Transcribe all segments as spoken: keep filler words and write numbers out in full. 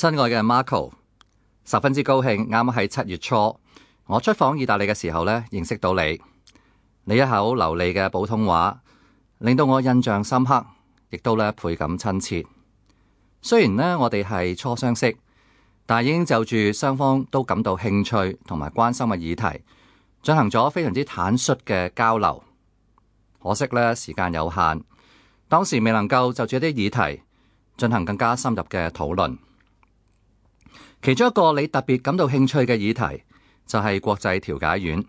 親愛嘅 Marco， 十分之高興，啱啱喺七月初，我出訪意大利嘅時候呢，認識到你。你一口流利嘅普通話，令到我印象深刻，亦都呢倍感親切。雖然呢，我哋係初相識，但已經就住雙方都感到興趣同埋關心嘅議題，進行咗非常之坦率嘅交流。可惜呢，時間有限，當時未能夠就住一啲議題進行更加深入嘅討論。其中一個你特別感到興趣嘅議題就係國際調解院。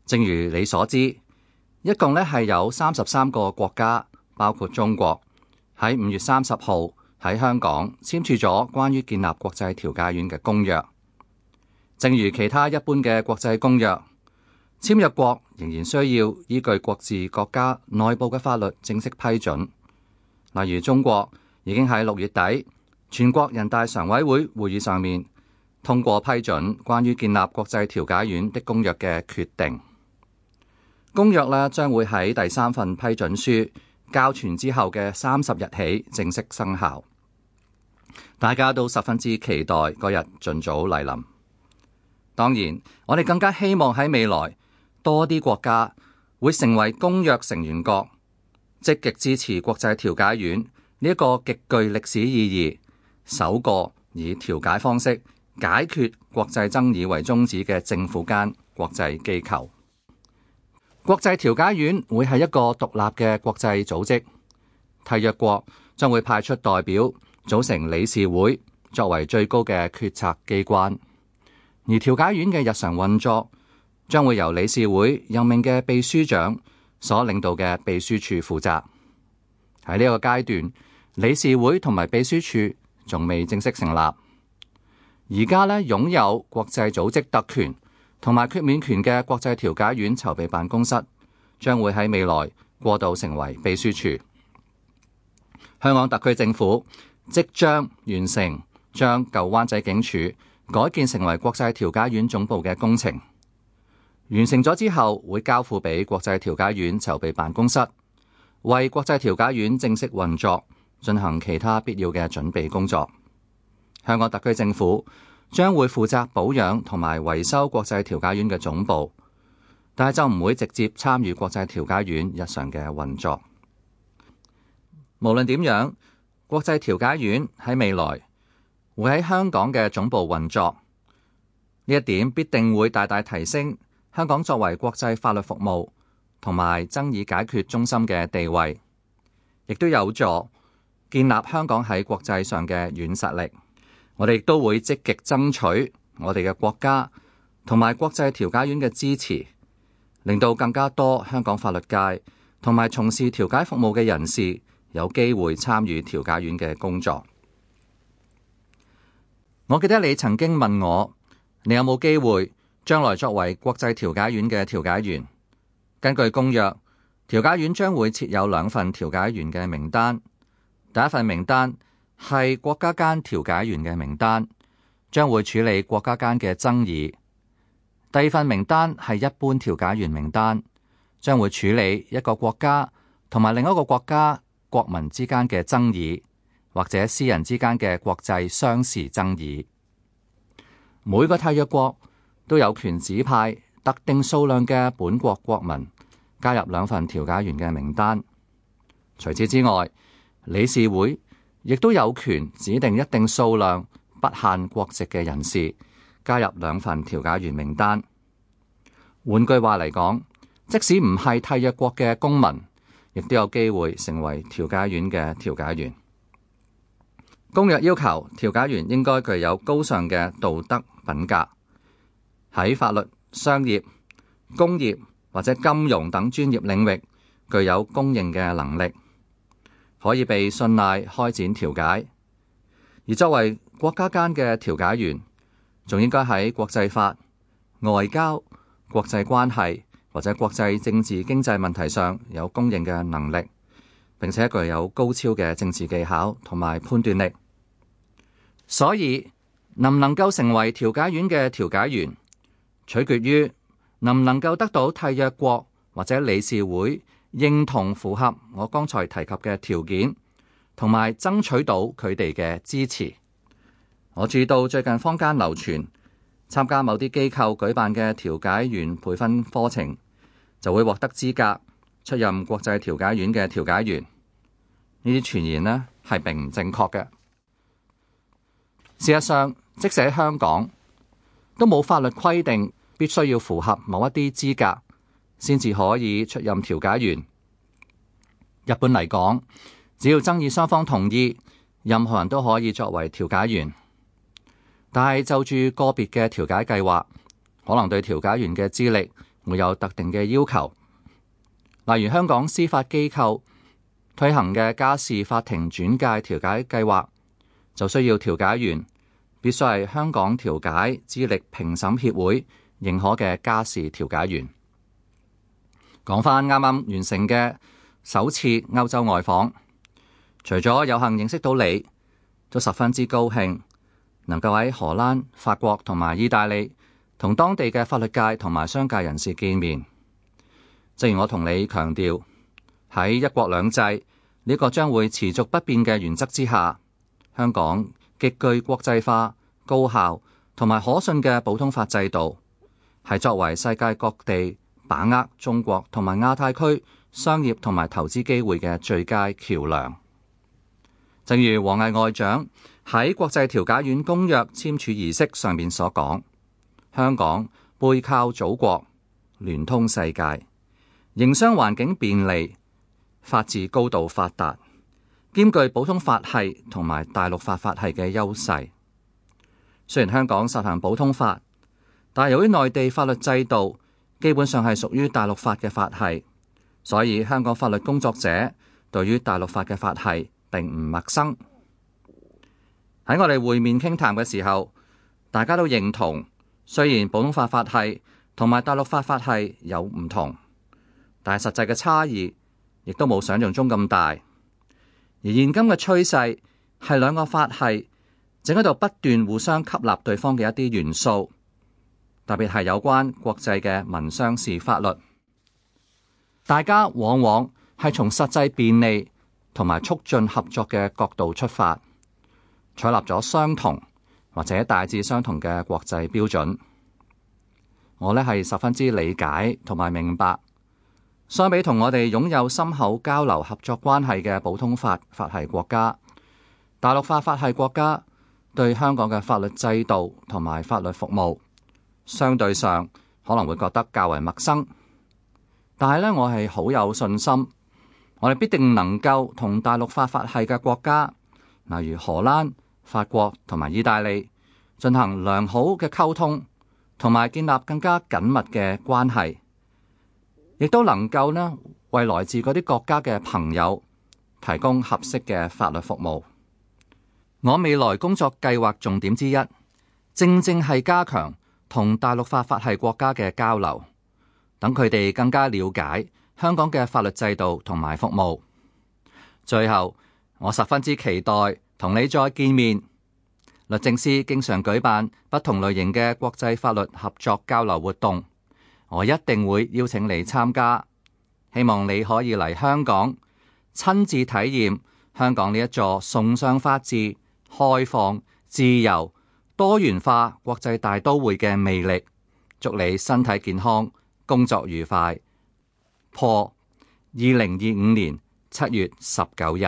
正如你所知，一共咧係有三十三個國家，包括中國，喺五月三十號喺香港簽署咗關於建立國際調解院嘅公約。正如其他一般嘅國際公約，簽約國仍然需要依據各自國家內部嘅法律正式批准。例如中國已經喺六月底全國人大常委會會議上面通過批准關於建立國際調解院的公約嘅決定。公約呢將會喺第三份批准書交存之後嘅三十日起正式生效。大家都十分之期待嗰日盡早來臨。當然，我哋更加希望喺未來多啲國家會成為公約成員國，積極支持國際調解院呢一個極具歷史意義，首個以調解方式解決國際爭議為宗旨嘅政府間國際機構。國際調解院會係一個獨立嘅國際組織，締約國將會派出代表組成理事會，作為最高嘅決策機關。而調解院嘅日常運作將會由理事會任命嘅秘書長所領導嘅秘書處負責。喺呢個階段，理事會同埋秘書處仲未正式成立。而家呢，擁有國際組織特權同埋豁免權嘅國際調解院籌備辦公室將會喺未來過渡成為秘書處。香港特區政府即將完成將舊灣仔警署改建成為國際調解院總部嘅工程。完成咗之後，會交付俾國際調解院籌備辦公室，為國際調解院正式運作進行其他必要嘅準備工作。香港特區政府將會負責保養同埋維修國際調解院嘅總部，但係就唔會直接參與國際調解院日常嘅運作。無論點樣，國際調解院喺未來會喺香港嘅總部運作，呢一點必定會大大提升香港作為國際法律服務同埋爭議解決中心嘅地位，亦都有助建立香港喺國際上嘅軟實力。我哋亦都會積極爭取我哋嘅國家同埋國際調解院嘅支持，令到更加多香港法律界同埋從事調解服務嘅人士有機會參與調解院嘅工作。我記得你曾經問我，你有冇機會將來作為國際調解院嘅調解員？根據公約，調解院將會設有兩份調解員嘅名單。第一份名單係國家間調解員嘅名單，將會處理國家間嘅爭議。第二份名單係一般調解員名單，將會處理一個國家同埋另一個國家國民之間嘅爭議，或者私人之間嘅國際商事爭議。每個締約國都有權指派特定數量嘅本國國民加入兩份調解員嘅名單。除此之外，理事會亦都有權指定一定數量不限國籍嘅人士加入兩份調解員名單。換句話嚟講，即使唔係締約國嘅公民，亦都有機會成為調解院嘅調解員。公約要求調解員應該具有高尚嘅道德品格，喺法律、商業、工業或者金融等專業領域具有公認嘅能力，可以被信賴開展調解。而作為國家間嘅調解員，仲應該喺國際法、外交、國際關係或者國際政治經濟問題上有公認嘅能力，並且具有高超嘅政治技巧同埋判斷力。所以能唔能夠成為調解院嘅調解員，取決於能唔能夠得到締約國或者理事會認同符合我剛才提及嘅條件，同埋爭取到佢哋嘅支持。我注意到最近坊間流傳，參加某啲機構舉辦嘅調解員培訓課程，就會獲得資格出任國際調解院嘅調解員。呢啲傳言呢係並唔正確嘅。事實上，即使喺香港都冇法律規定必須要符合某一啲資格先至可以出任調解員。一般嚟講，只要爭議雙方同意，任何人都可以作為調解員。但係就住個別嘅調解計劃，可能對調解員嘅資歷會有特定嘅要求。例如香港司法機構推行嘅家事法庭轉介調解計劃，就需要調解員必須係香港調解資歷評審協會認可嘅家事調解員。講返啱啱完成嘅首次歐洲外訪，除咗有幸認識到你，都十分之高興能夠喺荷蘭、法國同埋意大利同當地嘅法律界同埋商界人士見面。正如我同你強調，喺一國兩制呢個將會持續不變嘅原則之下，香港極具國際化、高效同埋可信嘅普通法制度，係作為世界各地把握中國同埋亞太區商業同埋投資機會嘅最佳橋梁。正如王毅外長喺國際調解院公約簽署儀式上面所講，香港背靠祖國，聯通世界，營商環境便利，法治高度發達，兼具普通法系同埋大陸法法系嘅優勢。雖然香港實行普通法，但由於內地法律制度基本上係屬於大陸法嘅法系，所以香港法律工作者對於大陸法嘅法系並唔陌生。喺我哋會面傾談嘅時候，大家都認同，雖然普通法法系同埋大陸法法系有唔同，但係實際嘅差異亦都冇想象中咁大。而現今嘅趨勢係兩個法系正喺度不斷互相吸納對方嘅一啲元素，特別係有關國際嘅民商事法律。大家往往係從實際便利同埋促進合作嘅角度出發，採納咗相同或者大致相同嘅國際標準。我呢係十分之理解同埋明白，相比同我哋擁有深厚交流合作關係嘅普通法法系國家，大陸法法系國家對香港嘅法律制度同埋法律服務相對上可能會覺得較為陌生。但係呢，我係好有信心，我哋必定能夠同大陸法法系嘅國家，例如荷蘭、法國同埋意大利，進行良好嘅溝通，同埋建立更加緊密嘅關係，亦都能夠呢為來自嗰啲國家嘅朋友提供合適嘅法律服務。我未來工作計劃重點之一，正正係加強同大陸法法系國家嘅交流，等佢哋更加了解香港嘅法律制度同埋服務。最後，我十分之期待同你再見面。律政司經常舉辦不同類型嘅國際法律合作交流活動，我一定會邀請你參加。希望你可以嚟香港親自體驗香港呢一座崇尚法治、開放、自由、多元化國際大都會嘅魅力。祝你身體健康，工作愉快。破二零二五年七月十九日。